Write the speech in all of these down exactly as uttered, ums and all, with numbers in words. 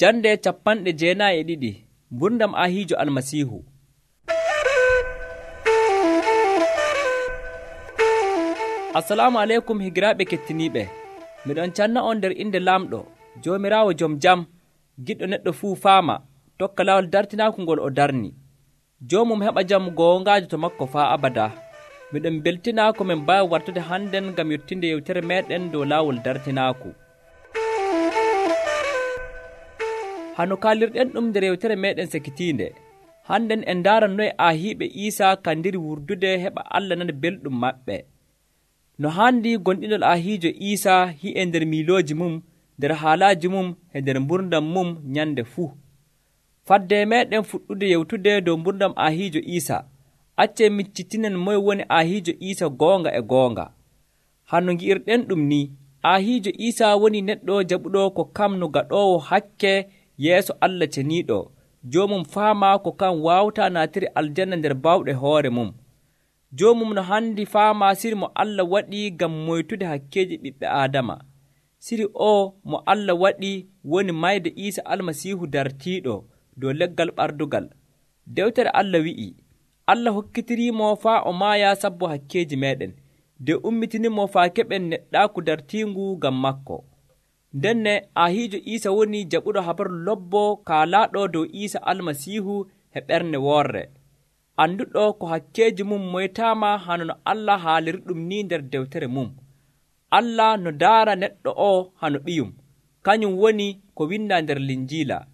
Jande capanɗe jeenayi e ɗiɗi Gurdam Ahiijo Almasiihu. Assalamu aleykum higiraaɓe kettiniiɓe. Miɗon canna on nder inde Laamɗo, Joomiraawo jom jam, giɗɗo neɗɗo fuu faama, tokka lawol dartinaaku ngol o darni. Joomum heɓa jam goongaajo to makko faa abadaa. Miɗon beltinaa ko min mbaawi wartude hannden ngam yottinde yewtere meeɗen dow laawol dartinaaku. Hano kaalirɗen ɗum nder yewtere meeɗen sekitiinde. Hannden en ndaaran noye aahiiɓe Iisaa kandiri wurdude heɓa Allah nana belɗum maɓɓe. No haandi gonɗinol aahiijo Iisaa hi'e nder miilooji mum, nder haalaaji mum e nder mburdam mum nyande fuu. Fadde meeɗen fuɗɗude yewtude dow mburdam aahiijo Iisaa. Accee miccitinen moye woni aahiijo Iisaa goonga e goonga. Hano ngi'irɗen ɗum ni, aahiijo Iisaa woni neɗɗo jaɓuɗo ko kam no gaɗoowo hakke yeeso Allah ceniiɗo. Joomum faamaa ko kan waawtaa naatiri aljanna nder bawɗe hoore mum. Joomum no handi faamaa siri mo Allah waɗi ngam moytude hakkeeji ɓiɓɓe Aadama. Siri o mo Allah waɗi woni mayde Iisaa Almasiihu dartiiɗo dow leggal ɓardugal. Dewtere Allah wi'i, Allah hokkitiriimo faa o maaya sabbo hakkeeji meeɗen, nde ummitinimo faa keɓen neɗɗaaku dartiingu ngam makko. Ndenne aahiijo Iisaa woni jaɓuɗo habaru lobbo kaalaaɗo dow Iisaa Almasiihu e ɓernde woorre. Annduɗo ko hakkeeji mum moytaama hano no Allah haaliri ɗum ni nder dewtere mum. Allah no daara neɗɗo o hano ɓiyum, kañum woni ko windaa nder Linjiila.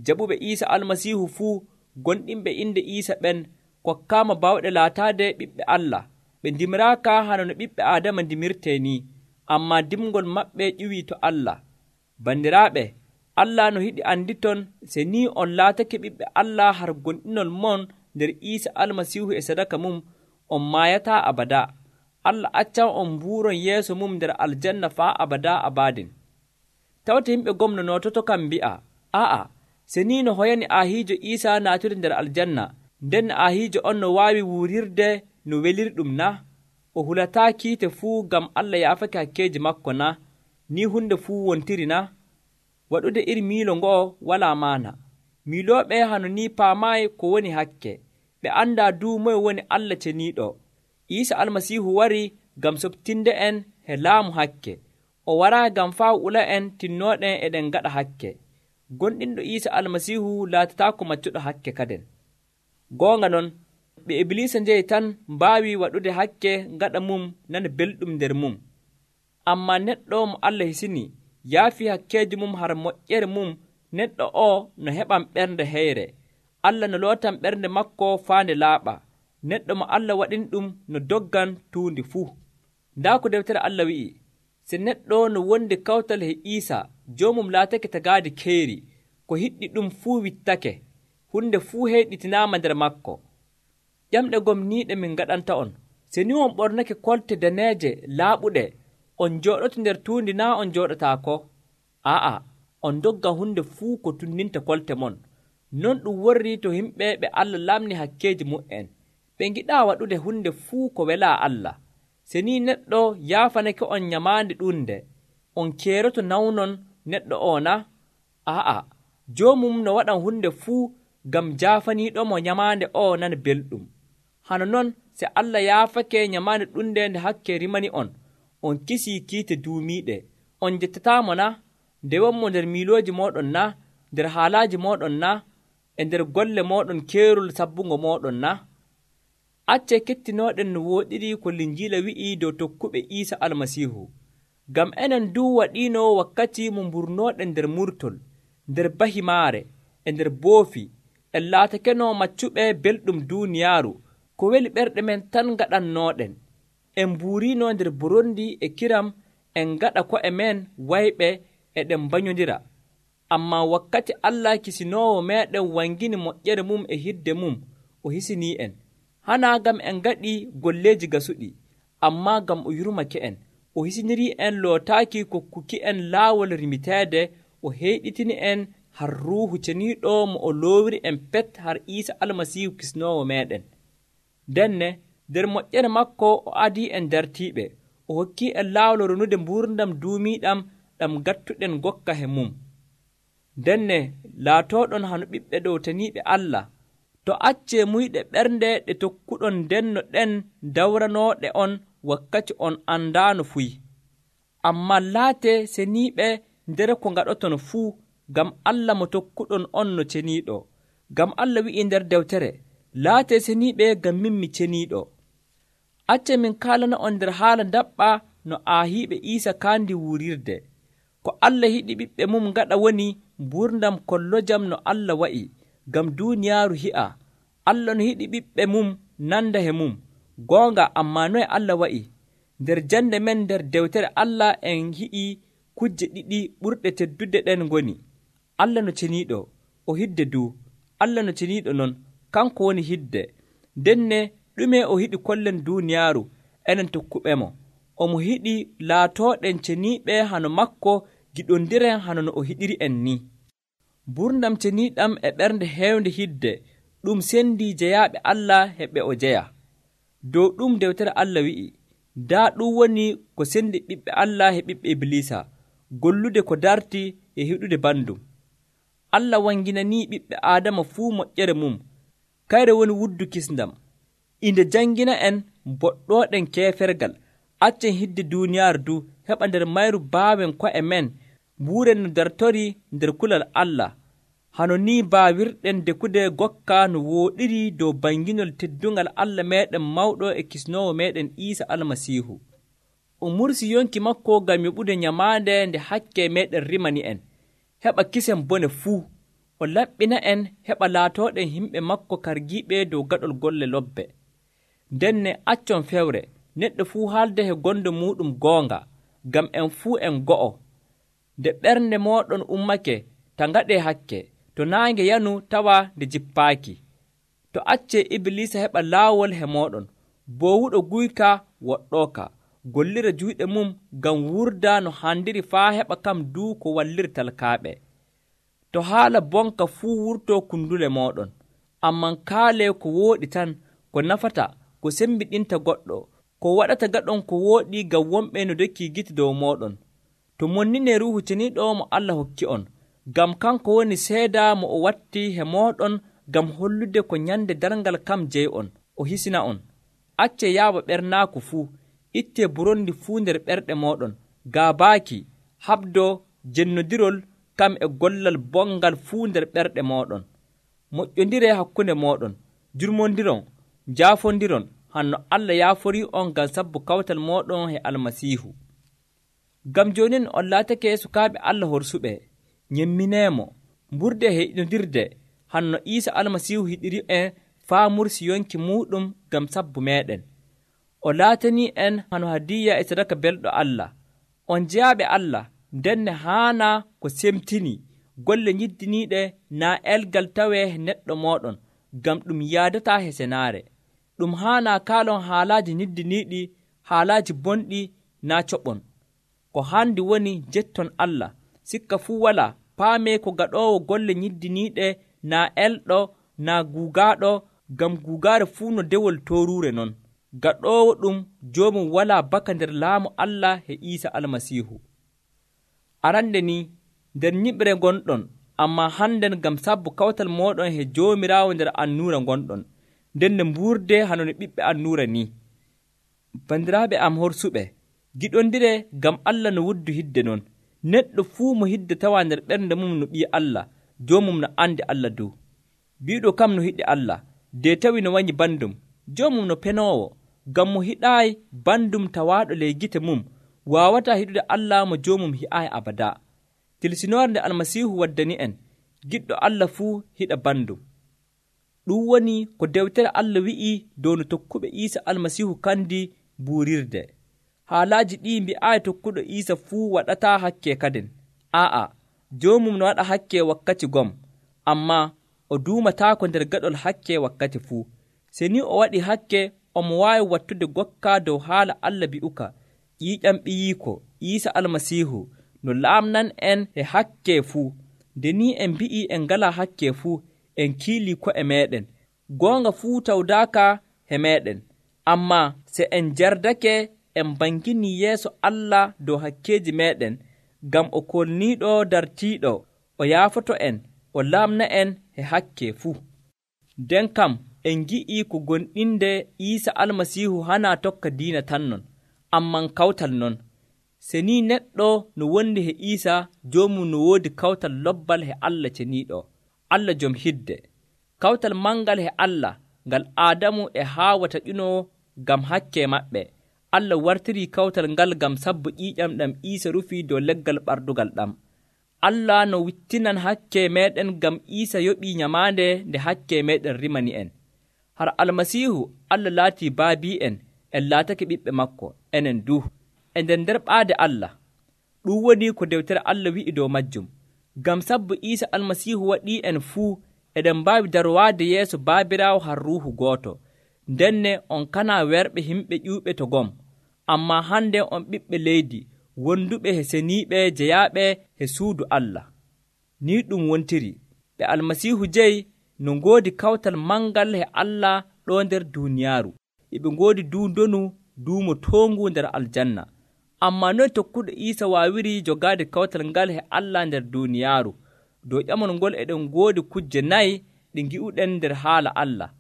Jaɓuɓe Iisaa Almasiihu fuu gonɗinɓe inde Iisaa ɓen kokkaama bawɗe laataade ɓiɓɓe Allah. Ɓe ndimiraaka hano no ɓiɓɓe Aadama ndimirtee ni, ammaa dimgol maɓɓe ƴiwii to Allah. Bandiraaɓe, Allah no yiɗi anditon se ni on laatake ɓiɓɓe Allah har gonɗinol mon nder Iisaa Almasiihu e sadaka mum, on maayataa abadaa. Allah accan on mbuuron yeeso mum nder aljanna faa abadaa abaadin. Tawte yimɓe gomnonoototo kam mbi'a, aa'a, se ni no hoyani aahiijo Iisaa naatude nder aljanna, nden aahiijo on no waawi wuurirde no weliri ɗum na? O hulataa kiite fuu ngam Allah yaafake hakkeeji makko na? Ni hunde fuu wontiri na? Waɗude iri miilo ngo'o walaa maana. Miilooɓe hano ni paamaayi ko woni hakke. Ɓe anndaa duu moye woni Allah ceniiɗo. Iisaa Almasiihu warii ngam soɓtinde en he laamu hakke. O waraa ngam faa ula en tinnooɗen eɗen ngaɗa hakke. Gonɗinɗo Iisaa Almasiihu laatataako maccuɗo hakke kaden. Goonga non, ɓe Ibliisa njeyi tan mbaawi waɗude hakke ngaɗa mum nana belɗum nder mum. Ammaa neɗɗo mo Allah hisini yaafii hakkeeji mum har moƴƴere mum, neɗɗo o no heɓan ɓernde heyre. Allah no lootan ɓernde makko faande laaɓa. Neɗɗo mo Allah waɗini ɗum no doggan tuundi fuu. Ndaa ko dewtere Allah wi'i, se neɗɗo no wondi kawtal he Iisaa, joomum laatake tagaaji keeri, ko hiɗɗi ɗum fuu wittake, hunde fuu heyɗitinaama nder makko. Ƴamɗe gomniiɗe min ngaɗanta on, se ni on ɓornake kolte daneeje laaɓuɗe, on jooɗoto nder tuundi naa on jooɗotaako? Aa'a, on dogga hunde fuu ko tunninta kolte mon. Non ɗum worri to yimɓe ɓe Allah lamni hakkeeji mu'en. Ɓe ngiɗaa waɗude hunde fuu ko welaa Allah. Se ni neɗɗo yaafanake on nyamaande ɗunde, on keeroto nawnon neɗɗo o na? Aa'a, joomum no waɗan hunde fuu ngam jaafaniiɗomo nyamaande o nana belɗum. Hano non se Allah yaafake nyamaande ɗunde nde hakke rimani on, on kisii kiite duumiiɗe. On jettataamo na? Nde wonmo nder miilooji mooɗon na? Nder haalaaji mooɗon na? E nder golle mooɗon keerol sabbungo mooɗon na? Accee kettinooɗen no wooɗiri ko Linjiila wi'ii dow tokkuɓe Iisaa Almasiihu. Ngam enen duu waɗiino wakkati mo mburnooɗen nder murtol, nder bahimaare, e nder boofi, en laatakeno maccuɓe belɗum duuniyaaru, ko weli ɓerɗe men tan ngaɗannooɗen. En mbuuriino nder borondi e kiram, en ngaɗa ko'e men wayɓe eɗen mbanyodira. Ammaa wakkati Allah kisinoowo meeɗen wangini moƴƴere mum e hidde mum, o hisinii en. Hanaa ngam en ngaɗii golleeji gasuɗi, ammaa ngam o yurmake en. O hisinirii en lootaaki kokkuki en laawol rimiteede, o heyɗitini en har Ruuhu ceniiɗo mo o loowiri en pet har Iisaa Almasiihu kisinoowo meeɗen. Ndenne, nder moƴƴere makko o adii en dartiiɓe, o hokkii en laawol ronude mbuurdam duumiiɗam ɗam gattuɗen gokka he mum. Denne laatooɗon hano ɓiɓɓe ɗowtaniiɓe Allah, to accee muyɗe ɓernde ɗe tokkuɗon ndenno ɗen dawranooɗe on wakkati on andaano fuy. Ammaa laatee seniiɓe nder ko ngaɗoton fuu, ngam Allah mo tokkuɗon on no ceniiɗo. Ngam Allah wi'ii nder dewtere, laatee seniiɓe ngam min mi ceniiɗo. Accee min kaalana on nder haala ndaɓɓa no aahiiɓe Iisa kaandi wuurirde. Ko Allah yiɗi ɓiɓɓe mum ngaɗa woni mburdam kollojam no Allah wa'i, ngam duuniyaaru hi'a. Allah no yiɗi ɓiɓɓe mum nanda he mum. Goonga, ammaa noye Allah wa'i? Nder jande men nder dewtere Allah en hi'ii kujje ɗiɗi ɓurɗe teddude ɗen ngoni: Allah no ceniiɗo, o hidde duu. Allah no ceniiɗo non, kanko woni hidde. Ndenne ɗume o yiɗi kollen duuniyaaru enen tokkuɓemo? Omo yiɗi laatooɗen ceniiɓe hano makko, giɗondiren hano no o hiɗiri en ni. Mburdam ceniiɗam e ɓernde heewnde hidde ɗum sendii jeyaaɓe Allah he ɓe o jeya. Dow ɗum dewtere Allah wi'i, daa ɗum woni ko sendi ɓiɓɓe Allah he ɓiɓɓe Iblisa, gollude ko darti e hiɗude bandum. Allah wanginanii ɓiɓɓe Aadama fuu moƴƴere mum, kayre woni wuddu kisndam. Inde jangina en boɗɗooɗen keefergal, accen hidde duuniyaaru du, heɓa nder mayru baawen ko'e men mbuuren no dartorii nder kulal Allah. Hano ni baawirɗen dekude gokka no wooɗiri dow banginol teddungal Allah meeɗen mawɗo e kisnoowo meeɗen Iisa Almasiihu. O mursi yonki makko ngam yoɓude nyamaande nde hakke meeɗen rimani en, heɓa kisen bone fuu. O laɓɓina en heɓa laatooɗen himɓe makko kargiiɓe dow gaɗol golle lobbe. Ndenne accon fewre, neɗɗo fuu haalde he gonɗo muuɗum goonga, ngam en fuu en go'o. Nde ɓernde mooɗon ummake, ta ngaɗee hakke, to naange yanu tawa nde jippaaki. To accee Iblisa heɓa laawol he mooɗon, boowuɗo guyka woɗɗooka, gollira juyɗe mum ngam wurda no handiri faa heɓa kam duu ko walliri talkaaɓe. To haala bonka fuu wurtoo kundule mooɗon, amman kaalee ko wooɗi tan, ko nafata, ko sembiɗinta goɗɗo, ko waɗata gaɗon ko wooɗi ngam wonɓe no dokkii gite dow mooɗon. To monninee Ruuhu Ceniiɗo mo Allah hokki on, ngam kanko woni seeda mo o watti he mooɗon ngam hollude ko nyande darngal kam jeyi on, o hisina on. Accee yaawa ɓernaaku fuu, ittee burondi fuu nder ɓerɗe mooɗon, gaabaaki, haɓdoo, jennodirol kam e gollal bongal fuu nder ɓerɗe mooɗon. Moƴƴondiree hakkunde mooɗon, jurmondiron, njaafondiron, hanno Allah yaaforii on ngam sabbu kawtal mooɗon he Almasiihu. Ngam joonin on laatake sukaaɓe Allah horsuɓe, nyemmineemo, mburde he hiɗondirde, hanno Iisa Almasiihu hiɗiri en faa mursi yonki muuɗum ngam sabbu meeɗen. O laatanii en hano hadiya e sadaka belɗo Allah. On jeyaaɓe Allah, ndenne haana ko semtinii golle nyiddiniiɗe naa elgal tawee he neɗɗo mooɗon, ngam ɗum yaadataa he senaare. Ɗum haanaa kaalon haalaaji nyiddiniiɗi, haalaaji bonɗi naa coɓon. Ko haandi woni jetton Allah, sikka fuu walaa, paamee ko gaɗoowo golle nyiddiniiɗe naa elɗo naa guugaaɗo, ngam guugaare fuu no dewol tooruure non. Gaɗoowo ɗum joomum walaa baka nder laamu Allah he Iisa Almasiihu. Arande ni, nder nyiɓre gonɗon, ammaa hannden ngam sabbu kawtal mooɗon he Joomiraawo nder annuura gonɗon, ndenne mbuurde hano no ɓiɓɓe annuura ni. Bandiraaɓe am horsuɓe, giɗondire ngam Allah no wuddu hidde non. Neɗɗo fuu mo hidde tawa nder ɓernde mum no ɓii Allah, joomum no andi Allah dow. Biiɗo kam no hiɗi Allah, de tawi no wanyi bandum, joomum no penoowo, ngam mo hiɗaayi bandum tawaaɗo ley gite mum, waawataa hiɗude Allah mo joomum hi'aayi abada. Tilsinoore nde Almasiihu waddani en, giɗɗo Allah fuu hiɗa bandum. Ɗum woni ko dewtere Allah wi'ii dow no tokkuɓe Iisa Almasiihu kandi buurirde. Haalaaji ɗii mbi'aayi tokkuɗo Iisa fuu waɗataa hakke kaden. Aa'a, joomum no waɗa hakke wakkati gom, ammaa o duumataako nder gaɗol hakke wakkati fuu. Se ni o waɗi hakke, omo waawi wattude gokka dow haala Allah bi'uka, ƴiiƴam ɓiyiiko, Iisa Almasiihu, no laamnan en he hakke fuu. Nde ni en mbi'ii en ngalaa hakke fuu, en kiilii ko'e meeɗen. Goonga fuu tawdaaka he meeɗen, ammaa se en jardake en banginii yeeso Allah dow hakkeeji meeɗen, ngam o kolniiɗo dartiiɗo o yaafoto en o laamna en e hakke fuu. nden kam en gi'ii ko gonɗinde Iisa Almasiihu hanaa tokka diina tan non, amman kawtal non. Se ni neɗɗo no wondi he Iisa, joomum no woodi kawtal lobbal he Allah ceniiɗo, Allah jom hidde. Kawtal mangal he Allah ngal Aadamu e Haawa taƴunoo ngam hakke maɓɓe. Allah wartirii kawtal ngal ngam sabbo ƴiiƴam ɗam Iisa rufii dow leggal ɓardugal ɗam. Allah no wittinan hakke meeɗen ngam Iisa yoɓii nyamaande nde hakke meeɗen rimani en. Har Almasiihu Allah laatii baabi'en, en laatake ɓiɓɓe makko, enen du, e nder nder ɓaade Allah. Ɗum woni ko dewtere Allah wi'i dow majjum. Ngam sabbo Iisa Almasiihu waɗii en fuu eɗen mbaawi darwaade yeeso Baabiraawo har Ruuhu gooto. Ndenne on kanaa werɓe himɓe ƴuuɓe to gom, ammaa hande on ɓiɓɓe leydi, wonduɓe he seniiɓe jeyaaɓe he suudu Allah. Ni ɗum wontiri, ɓe Almasiihu jeyi no ngoodi kawtal mangal he Allah ɗo nder duuniyaaru, eɓe ngoodi duu ndonu duumo toongu nder aljanna. Ammaa noy tokkuɗo Iisa waawiri jogaade kawtal ngal he Allah nder duuniyaaru? Dow ƴamol ngol eɗen ngoodi kujje nayi ɗi ngi'uɗen nder haala Allah.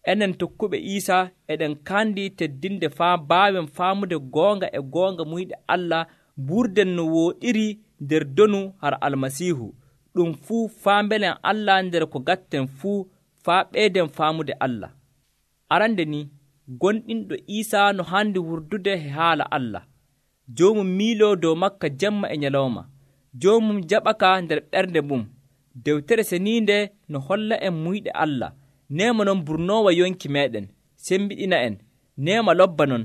Enen tokkuɓe Iisa eɗen kandi teddinde faa mbaawen faamude goonga e goonga muyɗe Allah, mburden no wooɗiri nder donu har Almasiihu. Ɗum fuu faa mbelen Allah nder ko gatten fuu, faa ɓeyden faamude Allah. Arande ni, gonɗinɗo Iisa no handi wurdude he haala Allah. Joomum miiloo dow makka jemma e nyalawma. Joomum jaɓaka nder ɓernde mum. Dewtere seniinde no holla en muyɗe Allah. Neema non burnoowa yonki meeɗen, sembiɗina en. Neema lobba non.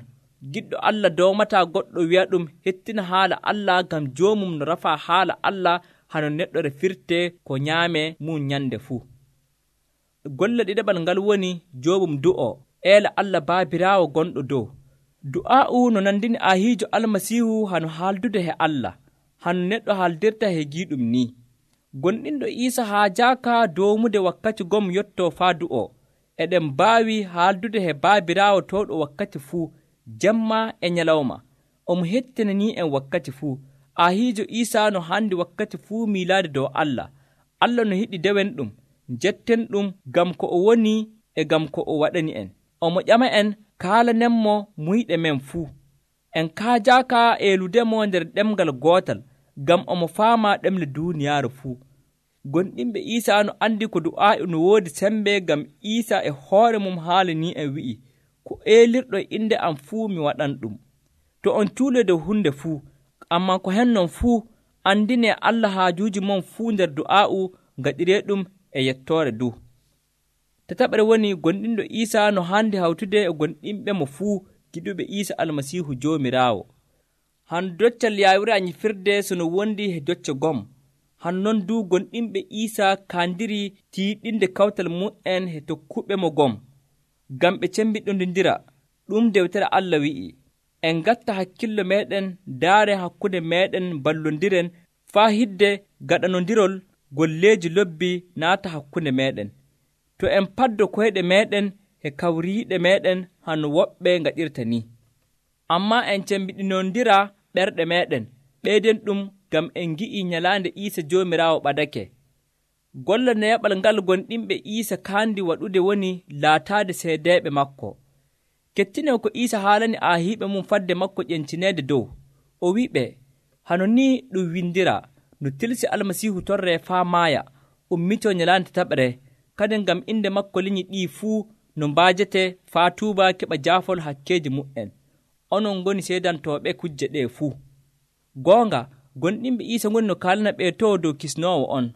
Giɗɗo Allah dowmataa goɗɗo wi'a ɗum hettina haala Allah, ngam joomum no rafaa haala Allah hano neɗɗo refirte ko nyaame mum nyande fuu. Golle ɗiɗaɓal ngal woni joomum du'o, eela Allah Baabiraawo gonɗo dow. Du'aa'u no nandini Ahiijo Almasiihu hano haaldude he Allah, hano neɗɗo haaldirta he giiɗum ni. Gonɗinɗo Iisa haajaaka dowmude wakkati gom yottoo faa du'o. Eɗen mbaawi haaldude he Baabiraawo towɗo wakkati fuu, jemma e nyalawma. Omo hettinanii en wakkati fuu. Ahiijo Iisa no handi wakkati fuu miilaade dow Allah. Allah no yiɗi dewen ɗum, jetten ɗum ngam ko o woni e ngam ko o waɗani en. Omo ƴama en kaalanenmo muyɗe men fuu. En kaajaaka eeludemo nder ɗemgal gootal, ngam omo faama ɗemle duuniyaaru fuu. Gonɗinɓe Iisa no andi ko du'aa'i no woodi sembe, ngam Iisa e hoore mum haalanii en wi'i, ko eelirɗo inde am fuu mi waɗan ɗum. To on cuule dow hunde fuu, ammaa ko hennon fuu, andinee Allah haajuuji mon fuu nder du'aa'u, ngaɗiree ɗum e yettoore du. Tataɓere woni gonɗinɗo Iisa no handi hawtude e gonɗinɓe mo fuu giɗuɓe Iisa Almasiihu Joomiraawo. Han doccal yaawira nyifirde sono wondi he docce gom. Han non du gonɗinɓe Iisa kaandiri tiiɗinde kawtal mu'en he tokkuɓe mo gom, ngam ɓe cembiɗondindira. Ɗum dewtere Allah wi'i, en ngatta hakkillo meeɗen daare hakkunde meeɗen, ballondiren faa hidde gaɗanondirol golleeji lobbi naata hakkunde meeɗen. To en paddo koyɗe meeɗen e kawriiɗe meeɗen hano woɓɓe ngaɗirta ni. Ammaa en cembiɗinondira ɓerɗe meeɗen, ɓeyden ɗum ngam en ngi'ii nyalaande Iisa Joomiraawo ɓadake. Golla neeɓal ngal gonɗinɓe Iisa kaandi waɗude woni laataade seedeeɓe makko. Kettinen ko Iisa haalani aahiiɓe mum fadde makko ƴencineede dow. O wiɓe, hano ni ɗum windira, no tilsi Almasiihu torree faa maaya, ummitoo nyalaande tataɓre, kadi ngam inde makko linyi ɗii fuu no mbaajete faa tuuba keɓa jaafol hakkeeji mu'en. Onon ngoni seedantooɓe kujje ɗee fuu. Goonga, gonɗinɓe Iisa ngoni no kaalana ɓe to dow kisnoowo on.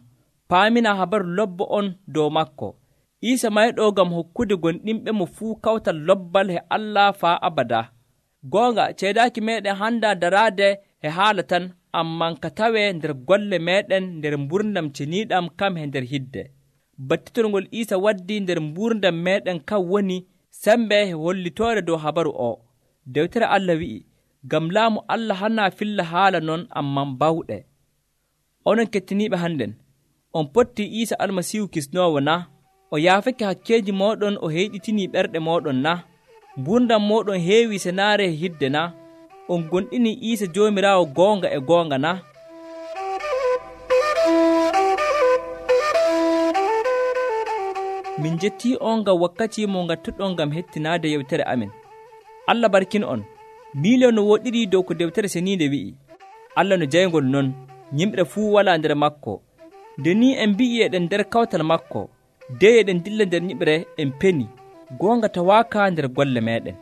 Paamina habaru lobbo on dow makko. Iisa mayɗoo ngam hokkude gonɗinɓe mo fuu kawtal lobbal he Allah faa abada. Goonga, ceedaaki meeɗen handa daraade he haala tan, amman ka tawee nder golle meeɗen nder mburdam ceniiɗam kam he nder hidde. Battitolngol Iisa waddi nder mburdam meeɗen kam woni sembe he hollitoore dow habaru o. Dewtere Allah wi'i, ngam laamu Allah hanaa filla haala non, amman bawɗe. Onon kettiniiɓe hannden, on pottii Iisa Almasiihu kisnoowo na? O yaafake hakkeeji mooɗon, o heyɗitinii ɓerɗe mooɗon na? Mburdam mooɗon heewi senaare he hidde na? On gonɗinii Iisa Joomiraawo goonga e goonga na? min jettii on ngam wakkati mo ngattuɗon ngam hettinaade yewtere amin. Allah barkin on. Miilon no woɗɗiri dow ko deftere seniinde wi'i. Allah no jayngol non, yimɓe fuu walaa nder maako. Nde ni en mbi'i eɗen nder kawtal maako, dey eɗen dilla nder nyiɓre en peni, goonga tawaaka nder golle meeɗen.